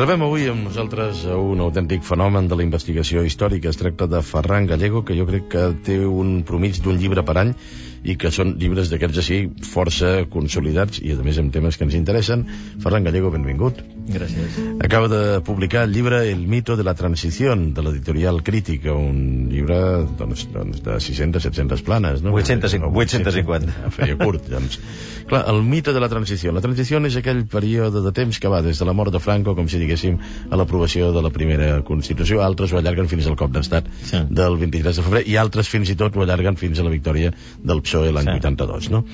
Rebem avui amb nosaltres un autèntic fenomen de la investigació històrica. Es tracta de Ferran Gallego, que jo crec que té un promig d'un llibre per any i que són llibres d'aquests així força consolidats i a més amb temes que ens interessen. Ferran Gallego, benvingut. Gràcies. Acaba de publicar el llibre El mito de la transición, de l'editorial Crítica, un llibre doncs, de 600-700 planes, no? 850. Feia curt, doncs. Clar, el mito de la transició. La transició és aquell període de temps que va des de la mort de Franco, com si diguéssim, a l'aprovació de la primera Constitució. Altres ho allarguen fins al cop d'estat del 23 de febrer i altres fins i tot ho allarguen fins a la victòria del PSOE l'any 82, no?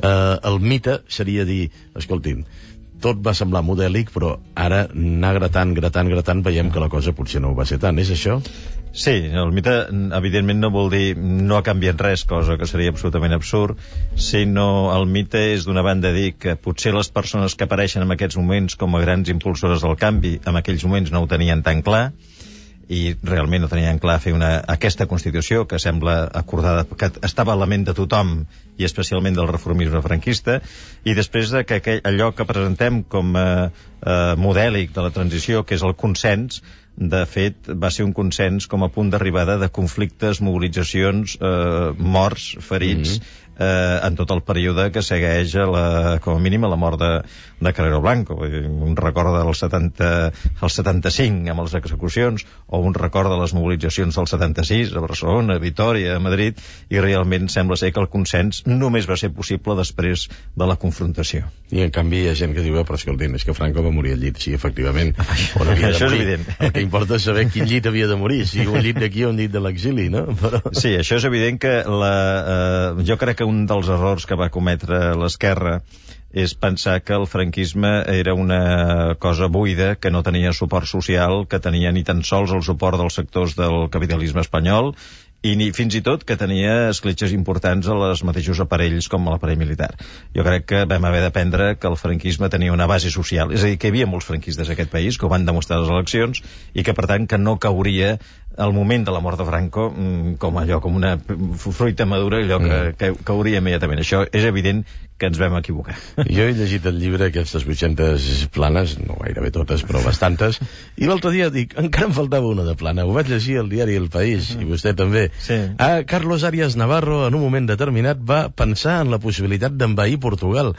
El mite seria dir, escoltin, tot va semblar modèlic, però ara anar gratant, veiem que la cosa potser no ho va ser tant. És això? Sí, el mite, evidentment, no vol dir no ha canviat res, cosa que seria absolutament absurd, sinó el mite és d'una banda dir que potser les persones que apareixen en aquests moments com a grans impulsores del canvi, en aquells moments no ho tenien tan clar, i realment no tenien clar fer aquesta Constitució que sembla acordada, que estava a la ment de tothom i especialment del reformisme franquista, i després de que allò que presentem com a modèlic de la transició, que és el consens, de fet va ser un consens com a punt d'arribada de conflictes, mobilitzacions, morts, ferits, en tot el període que segueix com a mínim a la mort de Carrero Blanco. Un record del 75 amb les execucions, o un record de les mobilitzacions del 76 a Barcelona, a Vitòria, a Madrid, i realment sembla ser que el consens només va ser possible després de la confrontació. I en canvi hi ha gent que diu, però escoltin, és que Franco va morir al llit. Sí, efectivament, on havia de això morir. És evident. El que importa és saber quin llit havia de morir, si un llit d'aquí o un llit de l'exili, no? Però... Sí, això és evident que jo crec que un dels errors que va cometre l'esquerra és pensar que el franquisme era una cosa buida, que no tenia suport social, que tenia ni tan sols el suport dels sectors del capitalisme espanyol, i fins i tot que tenia escletxes importants a les mateixos aparells com a l'aparell militar. Jo crec que vam haver d'aprendre que el franquisme tenia una base social, és a dir, que hi havia molts franquistes a aquest país, que ho van demostrar a les eleccions, i que per tant que no cauria al moment de la mort de Franco com una fruita madura, allò que cauria immediatament. Això és evident que ens vam equivocar. Jo he llegit el llibre, aquestes 800 planes, no gairebé totes, però bastantes, i l'altre dia dic, encara em faltava una de plana. Ho vaig llegir al diari El País, i vostè també. Sí. Carlos Arias Navarro, en un moment determinat, va pensar en la possibilitat d'envair Portugal,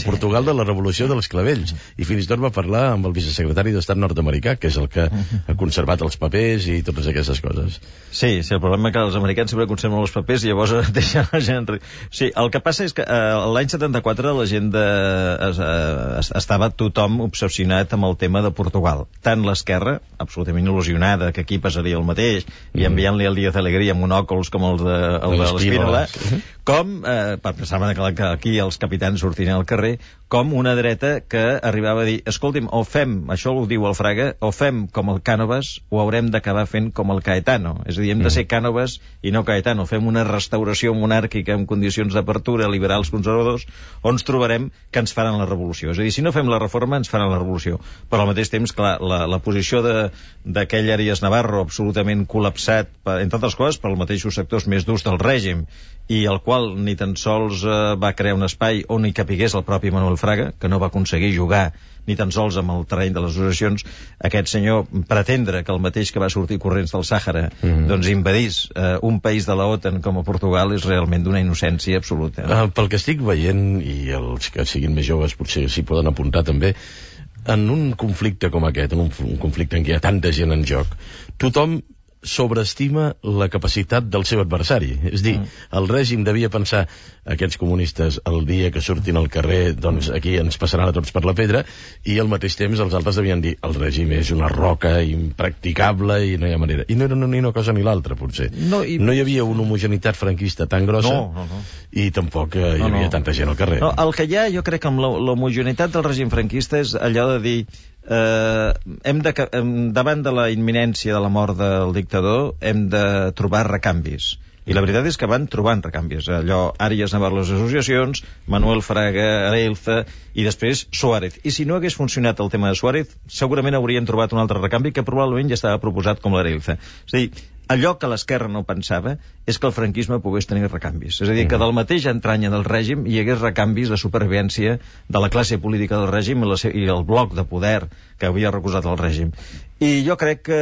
Portugal de la Revolució dels Clavells, i fins i tot va parlar amb el vicesecretari d'Estat nord-americà, que és el que ha conservat els papers i totes aquestes coses. Sí, el problema és que els americans sempre conserven els papers i llavors deixen la gent... Sí, el que passa és que l'any 74 la gent estava tothom obsessionat amb el tema de Portugal. Tant l'esquerra, absolutament il·lusionada que aquí passaria el mateix, i enviant-li el Díaz Alegría amb monòcols com el de l'Espínola, com, pensaven que aquí els capitans sortirien al carrer, com una dreta que arribava a dir, escolti'm, o fem, això ho diu el Fraga, o fem com el Cánovas o haurem d'acabar fent com el Caetano. És a dir, hem de ser Cánovas i no Caetano. Fem una restauració monàrquica en condicions d'apertura, liberals, conservadors, on ens trobarem que ens faran la revolució. És a dir, si no fem la reforma, ens faran la revolució. Però al mateix temps, clar, la posició d'aquell Arias Navarro absolutament col·lapsat, entre altres coses, per als mateixos sectors més durs del règim, i el qual ni tan sols va crear un espai on hi capigués el propi Manuel Fraga, que no va aconseguir jugar ni tan sols amb el terreny de les associacions. Aquest senyor pretendre que el mateix que va sortir corrents del Sàhara doncs invadís un país de la OTAN com a Portugal és realment d'una innocència absoluta. Pel que estic veient, i els que siguin més joves potser s'hi poden apuntar també, en un conflicte com aquest, en un conflicte en què hi ha tanta gent en joc, tothom sobreestima la capacitat del seu adversari. És dir, el règim devia pensar, aquests comunistes, el dia que surtin al carrer, doncs aquí ens passaran a tots per la pedra, i al mateix temps els altres devien dir, el règim és una roca impracticable i no hi ha manera. I no era ni una cosa ni l'altra, potser. No hi havia una homogeneïtat franquista tan grossa, i tampoc hi havia tanta gent al carrer. No, el que hi ha, jo crec que amb l'homogeneïtat del règim franquista és allò de dir davant de la imminència de la mort del dictador hem de trobar recanvis. I la veritat és que van trobant recanvis. Allò, Arias Navarro les associacions, Manuel Fraga, Areilza, i després Suárez. I si no hagués funcionat el tema de Suárez, segurament haurien trobat un altre recanvi que probablement ja estava proposat com l'Areilza. És a dir, allò que l'esquerra no pensava és que el franquisme pogués tenir recanvis. És a dir, que del mateix entranya del règim hi hagués recanvis de supervivència de la classe política del règim i el bloc de poder que havia recusat el règim. I jo crec que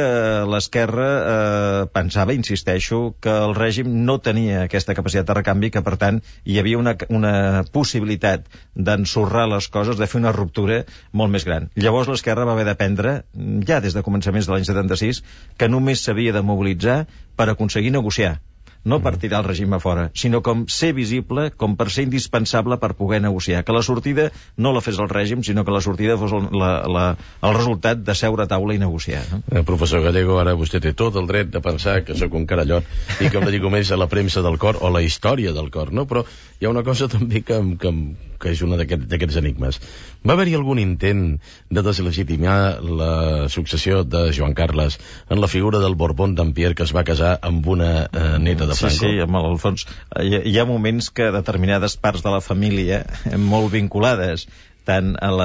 l'esquerra pensava, insisteixo, que el règim no tenia aquesta capacitat de recanvi, que per tant hi havia una possibilitat d'ensorrar les coses, de fer una ruptura molt més gran. Llavors l'esquerra va haver d'aprendre, ja des de començaments de l'any 76, que només s'havia de mobilitzar per aconseguir negociar, no per tirar el règim a fora, sinó com ser visible, com per ser indispensable per poder negociar. Que la sortida no la fes el règim, sinó que la sortida fos el resultat de seure a taula i negociar. No? Professor Gallego, ara vostè té tot el dret de pensar que sóc un carallot i que em dedico més a la premsa del cor o la història del cor, no? Però hi ha una cosa també que és una d'aquests enigmes. Va haver-hi algun intent de deslegitimar la successió de Joan Carles en la figura del Borbón d'Empierre, que es va casar amb una neta de Franco? Sí, amb el fons. Hi ha moments que determinades parts de la família, molt vinculades tant al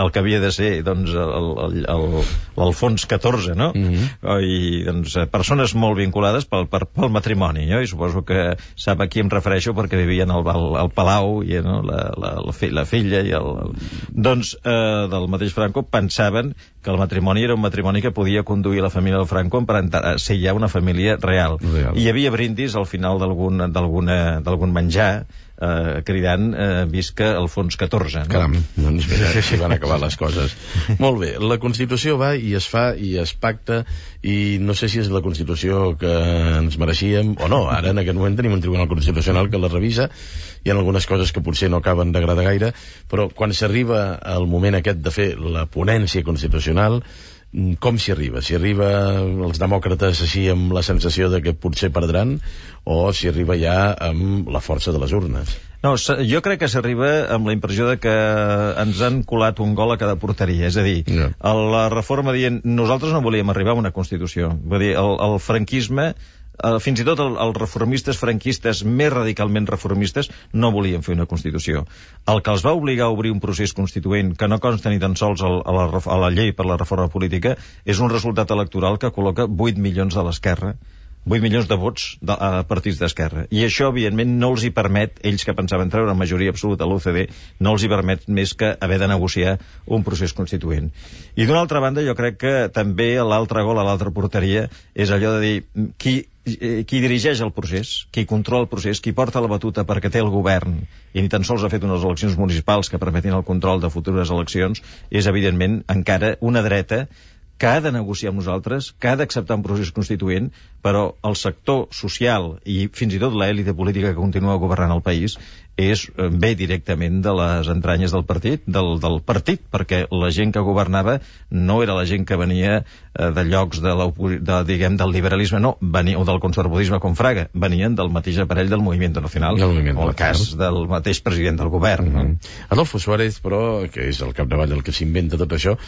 que havia de ser doncs, l'Alfons XIV, no? I doncs, persones molt vinculades pel matrimoni, no? I suposo que sap a qui em refereixo perquè vivien al Palau i no? la filla i doncs del mateix Franco pensaven que el matrimoni era un matrimoni que podia conduir la família del Franco a ser ja una família real. I hi havia brindis al final d'algun menjar cridant visca Alfons XIV. No? Caram, doncs mira, així van acabar les coses. Molt bé, la Constitució va i es fa i es pacta i no sé si és la Constitució que ens mereixíem o no. Ara en aquest moment tenim un Tribunal Constitucional que la revisa, hi ha algunes coses que potser no acaben d'agradar gaire, però quan s'arriba al moment aquest de fer la ponència constitucional, com s'hi arriba? S'hi arriba els demòcrates així amb la sensació de que potser perdran o s'hi arriba ja amb la força de les urnes? No, jo crec que s'arriba amb la impressió de que ens han colat un gol a cada porteria. És a dir, la reforma dient nosaltres no volíem arribar a una Constitució. Vull dir, el franquisme, fins i tot els reformistes franquistes més radicalment reformistes no volien fer una Constitució. El que els va obligar a obrir un procés constituent que no consta ni tan sols a la llei per la reforma política és un resultat electoral que col·loca 8 milions de l'esquerra, 8 milions de vots a partits d'esquerra. I això, evidentment, no els hi permet, ells que pensaven treure majoria absoluta a l'UCD, no els hi permet més que haver de negociar un procés constituent. I d'una altra banda, jo crec que també l'altre gol a l'altra porteria és allò de dir qui dirigeix el procés, qui controla el procés, qui porta la batuta perquè té el govern i ni tan sols ha fet unes eleccions municipals que permetin el control de futures eleccions, és evidentment encara una dreta que ha de negociar amb nosaltres, que ha d'acceptar un procés constituent, però el sector social i fins i tot l'èlite política que continua governant el país ve directament de les entranyes del partit, del partit, perquè la gent que governava no era la gent que venia de llocs del liberalisme, no, o del conservadorisme com Fraga, venien del mateix aparell del Moviment Nacional, o el cas del mateix president del govern. No? Adolfo Suárez, però, que és el capdavall el que s'inventa tot això,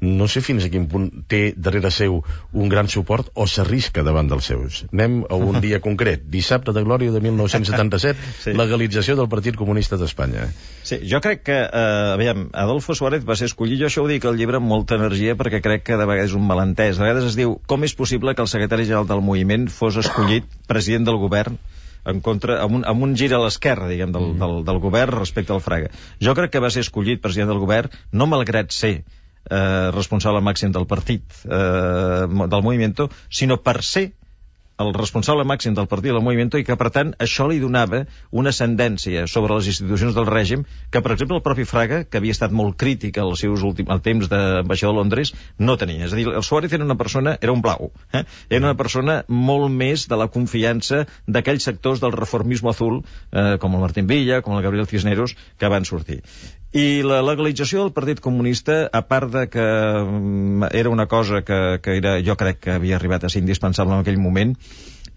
no sé fins a quin punt té darrere seu un gran suport o s'arrisca davant dels seus. Anem a un dia concret, dissabte de glòria de 1977, legalització del Partit Comunista d'Espanya. Sí, jo crec que, Adolfo Suárez va ser escollit, jo això ho dic al llibre amb molta energia perquè crec que de vegades és un malentès. De vegades es diu, com és possible que el secretari general del moviment fos escollit president del govern amb un gir a l'esquerra, diguem, del govern respecte al Fraga. Jo crec que va ser escollit president del govern no malgrat ser responsable màxim del partit del Movimiento, sinó per ser el responsable màxim del partit del Movimiento i que, per tant, això li donava una ascendència sobre les institucions del règim que, per exemple, el propi Fraga, que havia estat molt crític al temps d'ambaixador de Londres, no tenia. És a dir, el Suárez era un blau. Era una persona molt més de la confiança d'aquells sectors del reformisme azul, com el Martín Villa, com el Gabriel Cisneros, que van sortir. I la legalització del Partit Comunista, a part de que era una cosa que jo crec que havia arribat a ser indispensable en aquell moment,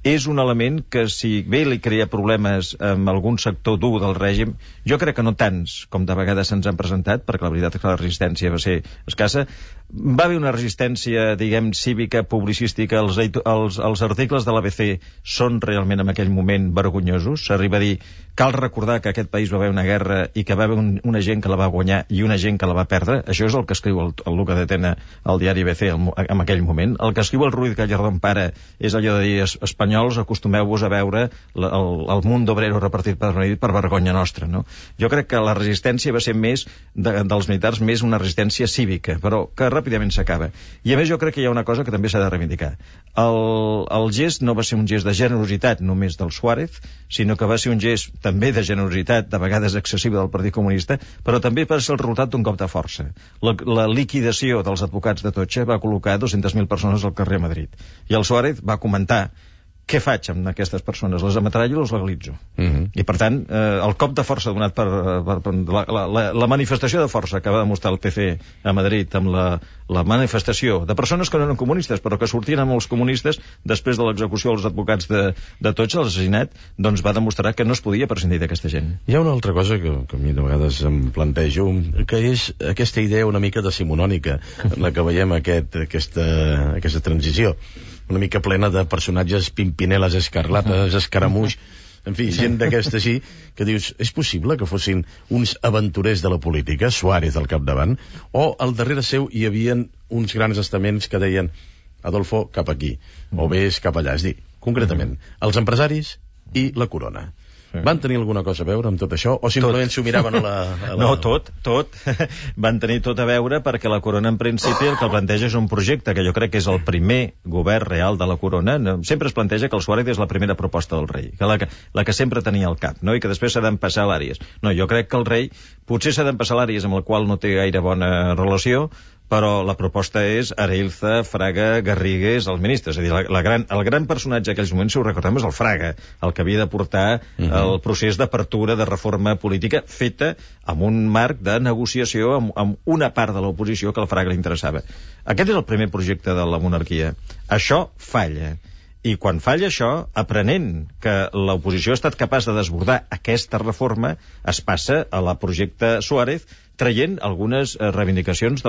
és un element que, si bé li crea problemes amb algun sector dur del règim, jo crec que no tants com de vegades se'ns han presentat, perquè la veritat és que la resistència va ser escassa. Va haver una resistència, diguem, cívica, publicística. Els articles de l'ABC són realment en aquell moment vergonyosos. S'arriba a dir, cal recordar que aquest país va haver una guerra i que va haver una gent que la va guanyar i una gent que la va perdre. Això és el que escriu el Luca de Tena al diari ABC en aquell moment. El que escriu el Ruiz Gallardón Pare és allò de dir, espanyols, acostumeu-vos a veure el mundo obrero repartit per Madrid per vergonya nostra, no? Jo crec que la resistència va ser més dels militars, més una resistència cívica, però que ràpidament s'acaba. I a més jo crec que hi ha una cosa que també s'ha de reivindicar. El gest no va ser un gest de generositat només del Suárez, sinó que va ser un gest també de generositat, de vegades excessiva del Partit Comunista, però també va ser el resultat d'un cop de força. La liquidació dels advocats d'Atocha va col·locar 200.000 persones al carrer a Madrid. I el Suárez va comentar: què faig amb aquestes persones? Les ametrallo o les legalitzo? I per tant, el cop de força donat per la manifestació de força que va demostrar el PC a Madrid amb la manifestació de persones que no eren comunistes però que sortien amb els comunistes després de l'execució dels advocats d'Atocha, l'assassinat, doncs va demostrar que no es podia prescindir d'aquesta gent. Hi ha una altra cosa que a mi de vegades em plantejo, que és aquesta idea una mica decimonònica en la que veiem aquesta transició, una mica plena de personatges pimpineles escarlates, escaramuix, en fi, gent d'aquesta així, que dius, és possible que fossin uns aventurers de la política, Suárez al capdavant, o al darrere seu hi havien uns grans estaments que deien Adolfo, cap aquí, o vés cap allà. És a dir, concretament, els empresaris i la corona. Van tenir alguna cosa a veure amb tot això? O simplement s'ho miraven a la... No, tot. Van tenir tot a veure, perquè la corona, en principi, el que planteja és un projecte que jo crec que és el primer govern real de la corona. Sempre es planteja que el Suárez és la primera proposta del rei, que la que sempre tenia al cap, no? I que després s'ha d'empassar l'Àries. No, jo crec que el rei potser s'ha d'empassar l'Àries, amb el qual no té gaire bona relació, però la proposta és Areilza, Fraga, Garrigues, els ministres. És a dir, el gran personatge d'aquells moments, si ho recordem, és el Fraga, el que havia de portar el procés d'apertura, de reforma política, feta amb un marc de negociació amb una part de l'oposició que al Fraga li interessava. Aquest és el primer projecte de la monarquia. Això falla. I quan falla això, aprenent que l'oposició ha estat capaç de desbordar aquesta reforma, es passa a la projecte Suárez, traient algunes reivindicacions de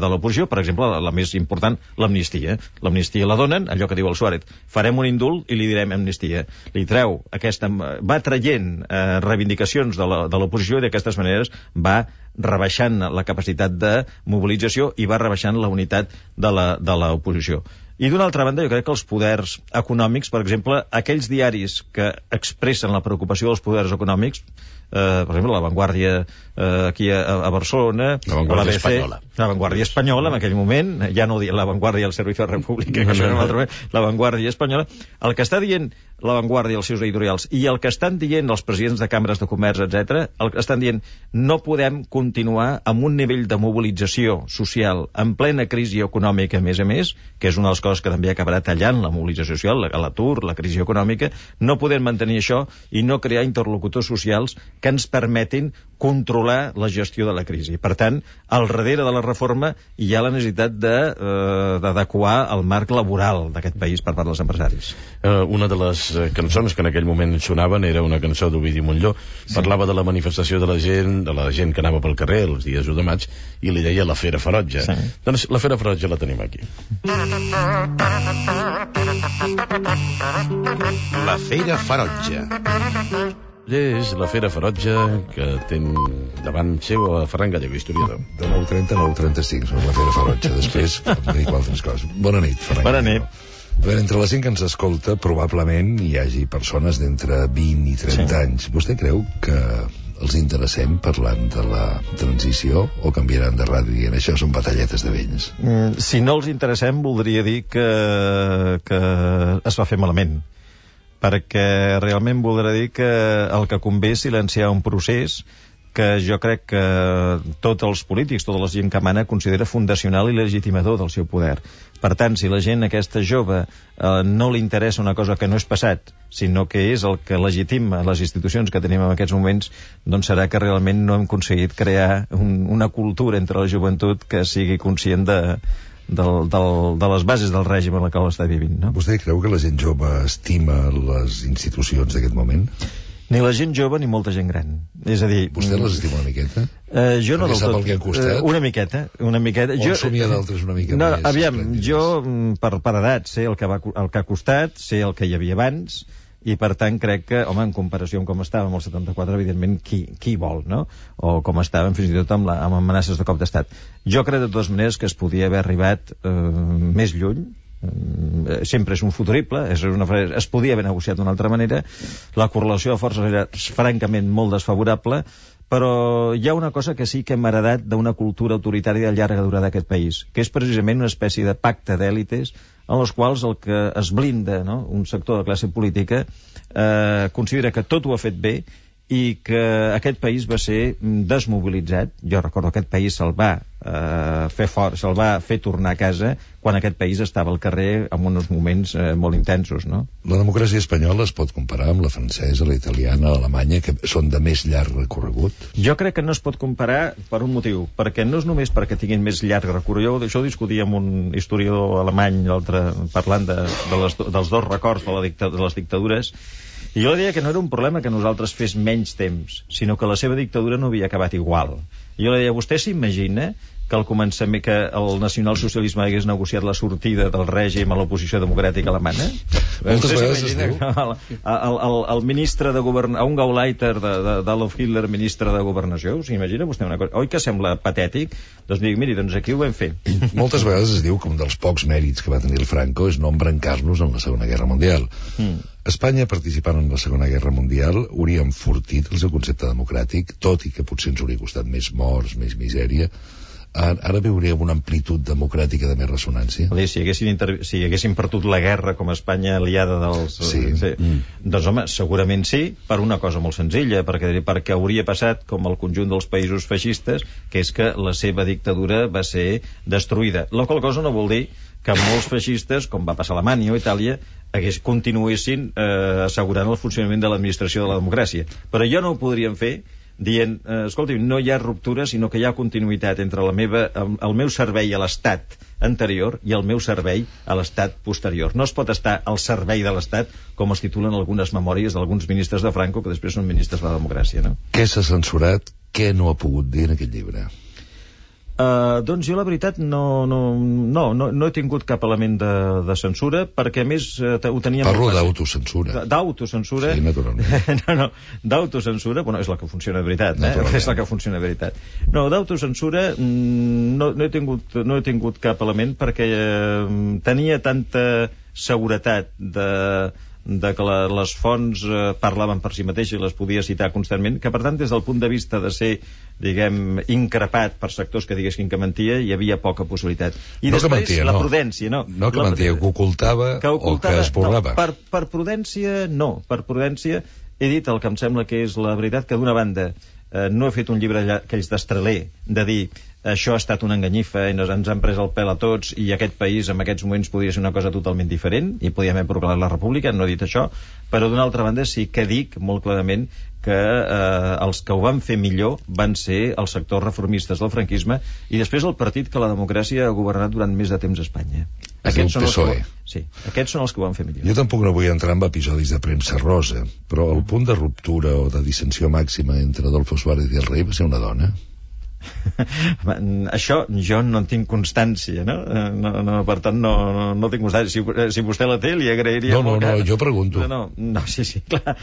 l'oposició, per exemple, la més important, l'amnistia. L'amnistia la donen, allò que diu el Suárez, farem un indult i li direm amnistia. Li treu va traient reivindicacions de l'oposició i d'aquestes maneres va rebaixant la capacitat de mobilització i va rebaixant la unitat de l'oposició. I d'una altra banda, jo crec que els poders econòmics, per exemple, aquells diaris que expressen la preocupació dels poders econòmics, per exemple, La Vanguardia aquí a Barcelona, La Vanguardia Espanyola. La Vanguardia Espanyola, en aquell moment, ja no La Vanguardia del Servicio de República, que això era un altre moment, La Vanguardia Espanyola, el que està dient La Vanguardia, els seus editorials, i el que estan dient els presidents de càmeres de comerç, etc., el que estan dient, no podem continuar amb un nivell de mobilització social en plena crisi econòmica, a més, que és una de les coses que també acabarà tallant la mobilització social, l'atur, la crisi econòmica. No podem mantenir això i no crear interlocutors socials que ens permetin controlar la gestió de la crisi. Per tant, al darrere de la reforma hi ha la necessitat d'adequar el marc laboral d'aquest país per part dels empresaris. Una de les cançons que en aquell moment sonaven era una cançó d'Ovidi Montllor. Parlava de la manifestació de la gent que anava pel carrer els dies 1 de maig i li deia la Fera Ferotge. Doncs la Fera Ferotge la tenim aquí. La Fera Ferotge. És la Fera Ferotge que té davant seu a Ferran Gallego, historiador. De 9:30 a 9:35 sobre la Fera Ferotge. Després em dic altres coses. Bona nit, Ferran Gallego. A veure, entre la gent que ens escolta, probablement hi hagi persones d'entre 20 i 30 anys. Vostè creu que els interessem parlant de la transició o canviaran de ràdio dient això són batalletes de vells? Si no els interessem, voldria dir que es va fer malament, perquè realment voldrà dir que el que convé és silenciar un procés que jo crec que tots els polítics, tota la gent que mana, considera fundacional i legitimador del seu poder. Per tant, si la gent aquesta jove no li interessa una cosa que no és passat, sinó que és el que legitima les institucions que tenim en aquests moments, doncs serà que realment no hem aconseguit crear una cultura entre la joventut que sigui conscient de les bases del règim en la qual està vivint, no? Vostè creu que la gent jove estima les institucions d'aquest moment? Ni la gent jove ni molta gent gran. És a dir... Vostè les estima una miqueta? Jo no del tot. Sap el que han costat? Una miqueta. O somia d'altres una mica més? Aviam, jo per edat sé el que ha costat, sé el que hi havia abans, i per tant crec que, home, en comparació amb com estàvem el 74, evidentment, qui vol, no? O com estàvem fins i tot amb amenaces de cop d'estat. Jo crec de totes maneres que es podia haver arribat més lluny. Sempre és un futurible, es podia haver negociat d'una altra manera, la correlació de forces era francament molt desfavorable, però hi ha una cosa que sí que hem heredat d'una cultura autoritària de llarga durada d'aquest país, que és precisament una espècie de pacte d'èlites en els quals el que es blinda, no?, un sector de classe política considera que tot ho ha fet bé i que aquest país va ser desmobilitzat. Jo recordo que aquest país se'l va fer fort, se'l va fer tornar a casa quan aquest país estava al carrer en uns moments molt intensos, no? La democràcia espanyola es pot comparar amb la francesa, la italiana, l'alemanya, que són de més llarg recorregut? Jo crec que no es pot comparar per un motiu, perquè no és només perquè tinguin més llarg recorregut. Això ho discutia amb un historiador alemany l'altre, parlant dels dos records de les dictadures, i jo deia que no era un problema que nosaltres fes menys temps, sinó que la seva dictadura no havia acabat igual. I jo deia, vostè s'imagina que al començament que el nacionalsocialisme hagués negociat la sortida del règim a l'oposició democràtica alemana? Moltes vegades es diu. El ministre de governació, un Gauleiter d'Adolf Hitler, ministre de governació, s'imagina vostè una cosa? Oi que sembla patètic? Doncs dic, miri, doncs aquí ho vam fer. Moltes vegades es diu que un dels pocs mèrits que va tenir el Franco és no embrancar-nos en la Segona Guerra Mundial. Espanya, participant en la Segona Guerra Mundial, hauria enfortit el seu concepte democràtic, tot i que potser ens hauria costat més morts, més misèria. Ara veuríem una amplitud democràtica de més ressonància. Si haguessin perdut la guerra com a Espanya aliada dels... Sí. Doncs home, segurament sí, per una cosa molt senzilla, perquè hauria passat com el conjunt dels països feixistes, que és que la seva dictadura va ser destruïda. La qual cosa no vol dir que molts feixistes, com va passar a Alemanya o Itàlia, continuessin assegurant el funcionament de l'administració de la democràcia. Però jo no ho podríem fer dient, escolti, no hi ha ruptura, sinó que hi ha continuïtat entre el meu servei a l'Estat anterior i el meu servei a l'Estat posterior. No es pot estar al servei de l'Estat, com es titulen algunes memòries d'alguns ministres de Franco, que després són ministres de la democràcia, no? Què s'ha censurat? Què no ha pogut dir en aquest llibre? Doncs jo la veritat no he tingut cap element de censura, perquè a més ho teníem... Parlo d'autocensura. D'autocensura? Sí, naturalment. D'autocensura, bueno, és la que funciona de veritat, és la que funciona de veritat. No, d'autocensura no he tingut cap element, perquè tenia tanta seguretat de que les fonts parlaven per si mateixes i les podia citar constantment, que per tant des del punt de vista de ser, diguem, increpat per sectors que diguessin que mentia, hi havia poca possibilitat. I no després mentia, la prudència, no. No que mentia, que ocultava o que esborrava. No, per prudència no, per prudència he dit el que em sembla que és la veritat, que d'una banda no he fet un llibre aquells d'Estraler de dir això ha estat una enganyifa i ens han pres el pèl a tots i aquest país en aquests moments podria ser una cosa totalment diferent i podíem haver proclamat la república, no he dit això, però d'una altra banda sí que dic molt clarament que els que ho van fer millor van ser els sectors reformistes del franquisme i després el partit que la democràcia ha governat durant més de temps a Espanya. Aquests són els que ho van fer millor. Jo tampoc no vull entrar en episodis de premsa rosa, però el punt de ruptura o de dissensió màxima entre Adolfo Suárez i el rei va ser una dona. Això jo no en tinc constància, no? Per tant no tinc constància. Si vostè la té li agrairia molt. No, jo pregunto. No, sí, clar.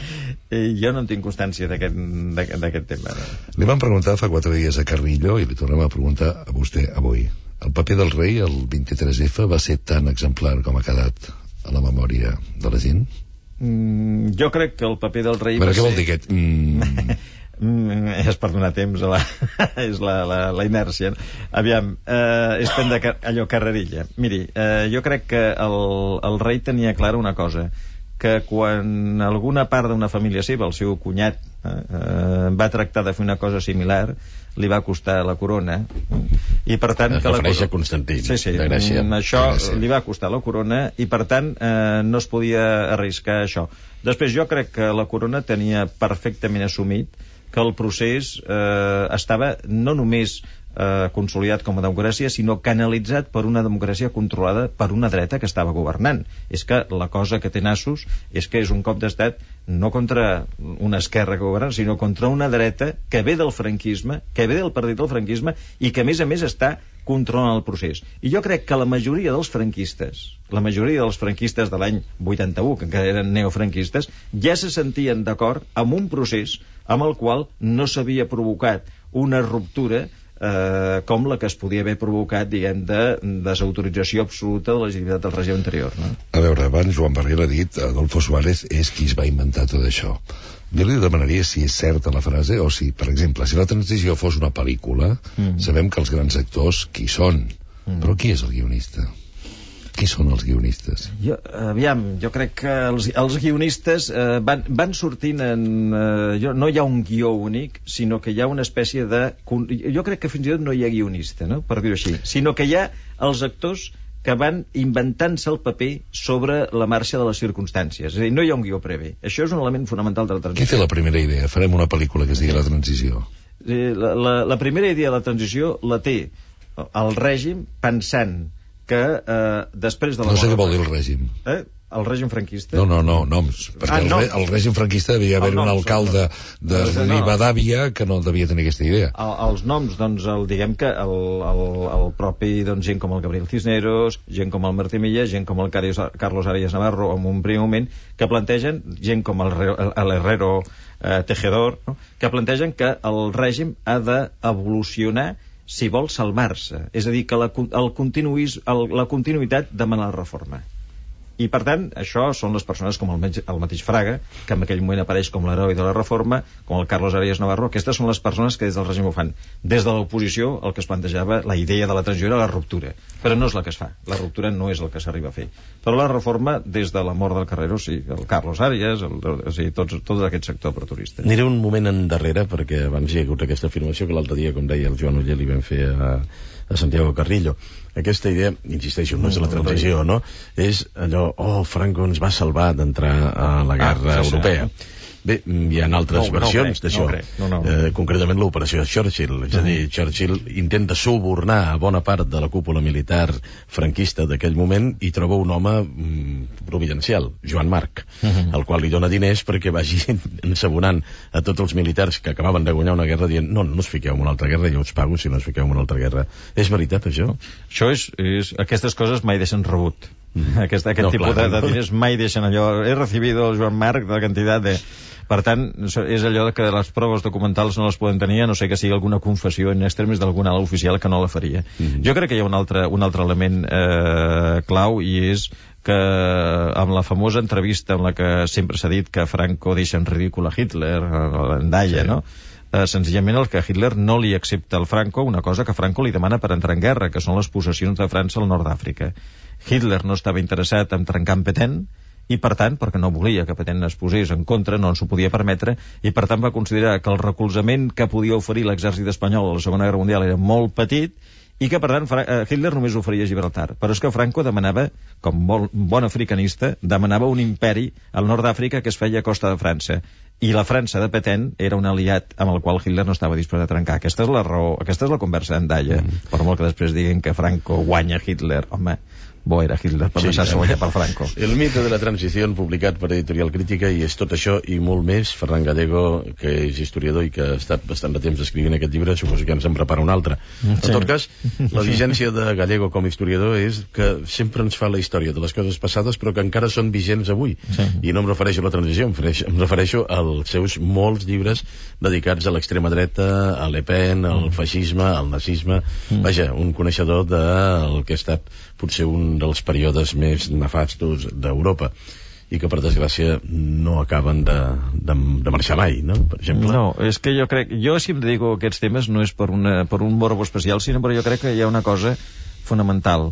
Jo no en tinc constància d'aquest tema. Li vam preguntar fa 4 dies a Carrillo i li tornem a preguntar a vostè avui. El paper del rei el 23F va ser tan exemplar com ha quedat a la memòria de la gent? Jo crec que el paper del rei què vol dir aquest? És per donar temps a és la inèrcia. Aviam, és prendre allò carrerilla. Miri, jo crec que el rei tenia clara una cosa, que quan alguna part d'una família seva, el seu cunyat, va tractar de fer una cosa similar, li va costar la corona, i per tant... Es refereix a Constantí, de Grècia. Això li va costar la corona, i per tant no es podia arriscar això. Després jo crec que la corona tenia perfectament assumit que el procés estava no només consolidat com a democràcia, sinó canalitzat per una democràcia controlada per una dreta que estava governant. És que la cosa que té nassos és que és un cop d'estat no contra una esquerra que governa, sinó contra una dreta que ve del franquisme, que ve del partit del franquisme i que a més està controlant el procés. I jo crec que la majoria dels franquistes de l'any 81, que encara eren neofranquistes, ja se sentien d'acord amb un procés amb el qual no s'havia provocat una ruptura com la que es podia haver provocat, diguem, de desautorització absoluta de la legitimitat del règim anterior, no? A veure, abans Joan Barril ha dit Adolfo Suárez és qui es va inventar tot això. Jo li demanaria si és certa la frase o si, per exemple, si la transició fos una pel·lícula, sabem que els grans actors qui són, però qui és el guionista? Qui són els guionistes? Jo crec que els guionistes van sortint en... no hi ha un guió únic, sinó que hi ha una espècie de... Jo crec que fins i tot no hi ha guionista, no? Per dir-ho així. Sinó que hi ha els actors que van inventant-se el paper sobre la marxa de les circumstàncies. És a dir, no hi ha un guió previ. Això és un element fonamental de la transició. Qui té la primera idea? Farem una pel·lícula que es digui La Transició. La primera idea de la transició la té el règim pensant que després de la... No sé què vol dir el règim. El règim franquista? No, noms. Perquè el règim franquista devia haver un alcalde de Rivadavia que no devia tenir aquesta idea. Els noms, doncs, diguem que el propi, doncs, gent com el Gabriel Cisneros, gent com el Martí Milla, gent com el Carlos Arias Navarro, en un primer moment, que plantegen, gent com el Herrero Tejedor, no? Que plantegen que el règim ha d'evolucionar si vol salvar-se. És a dir, que la continuïtat demana la reforma. I, per tant, això són les persones com el mateix Fraga, que en aquell moment apareix com l'heroi de la reforma, com el Carlos Arias Navarro. Aquestes són les persones que des del règim ho fan. Des de l'oposició, el que es plantejava, la idea de la transició era la ruptura. Però no és la que es fa. La ruptura no és el que s'arriba a fer. Però la reforma, des de la mort del Carrero, sí, el Carlos Arias, tot aquest sector pretorista. Aniré un moment endarrere, perquè abans hi ha hagut aquesta afirmació que l'altre dia, com deia el Joan Uller, li vam fer a Santiago Carrillo. Aquesta idea, insisteixo, no és la transició, no? És allò, Franco ens va salvar d'entrar a la guerra europea. Bé, hi ha altres versions d'això. Concretament l'operació Churchill. És a dir, Churchill intenta subornar a bona part de la cúpula militar franquista d'aquell moment i troba un home providencial, Joan Marc, el qual li dona diners perquè vagi ensabonant a tots els militars que acabaven de guanyar una guerra dient no us fiqueu en una altra guerra, jo us pago si no us fiqueu en una altra guerra. És veritat, això? Això és aquestes coses mai deixen rebut. Aquest tipus de diners mai deixen allò. He recibido el Joan Marc de la quantitat de... Per tant, és allò que les proves documentals no les poden tenir, a no sé que sigui alguna confessió en extremis d'algun alt oficial que no la faria. Jo crec que hi ha un altre element clau, i és que amb la famosa entrevista en la que sempre s'ha dit que Franco deixa en ridícul a Hitler, en Daya, no? Senzillament el que Hitler no li accepta al Franco una cosa que Franco li demana per entrar en guerra, que són les possessions de França al nord d'Àfrica. Hitler no estava interessat en trencar amb Petain, i per tant, perquè no volia que Petain es posés en contra, no ens ho podia permetre, i per tant va considerar que el recolzament que podia oferir l'exèrcit espanyol a la Segona Guerra Mundial era molt petit, i que per tant Hitler només oferia Gibraltar. Però és que Franco demanava, com bon africanista, demanava un imperi al nord d'Àfrica que es feia a costa de França, i la França de Petain era un aliat amb el qual Hitler no estava disposat a trencar. Aquesta és la raó, aquesta és la conversa en Daya, per molt que després diguin que Franco guanya Hitler. Home, bo era Hitler per deixar-se guanyar per Franco. El mite de la transició, publicat per Editorial Crítica, i és tot això i molt més. Ferran Gallego, que és historiador i que ha estat bastant de temps escrivint aquest llibre, suposo que ens en prepara un altre. En tot cas, la vigència de Gallego com a historiador és que sempre ens fa la història de les coses passades, però que encara són vigents avui. I no em refereixo a la transició, em refereixo als seus molts llibres dedicats a l'extrema dreta, a Le Pen, al feixisme, al nazisme. Vaja, un coneixedor del que ha estat potser un dels períodes més nefastos d'Europa, i que per desgràcia no acaben de marxar mai, no? Per exemple. No, és que jo si em dedico a aquests temes no és per un morbo especial, sinó perquè jo crec que hi ha una cosa fonamental.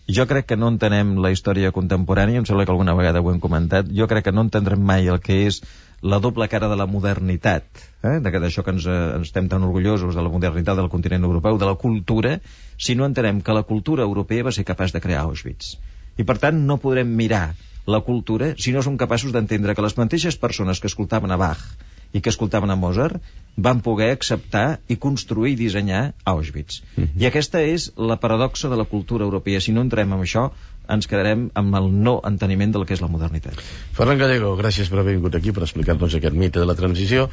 Jo crec que no entenem la història contemporània, em sembla que alguna vegada ho hem comentat, jo crec que no entendrem mai el que és la doble cara de la modernitat, d'això que ens estem tan orgullosos de la modernitat del continent europeu, de la cultura, si no entenem que la cultura europea va ser capaç de crear Auschwitz. I per tant no podrem mirar la cultura si no som capaços d'entendre que les mateixes persones que escoltaven a Bach i que escoltaven a Mozart van poder acceptar i construir i dissenyar Auschwitz. I aquesta és la paradoxa de la cultura europea. Si no entrem en això, ens quedarem amb el no enteniment del que és la modernitat. Ferran Gallego, gràcies per haver vingut aquí per explicar-nos aquest mite de la transició.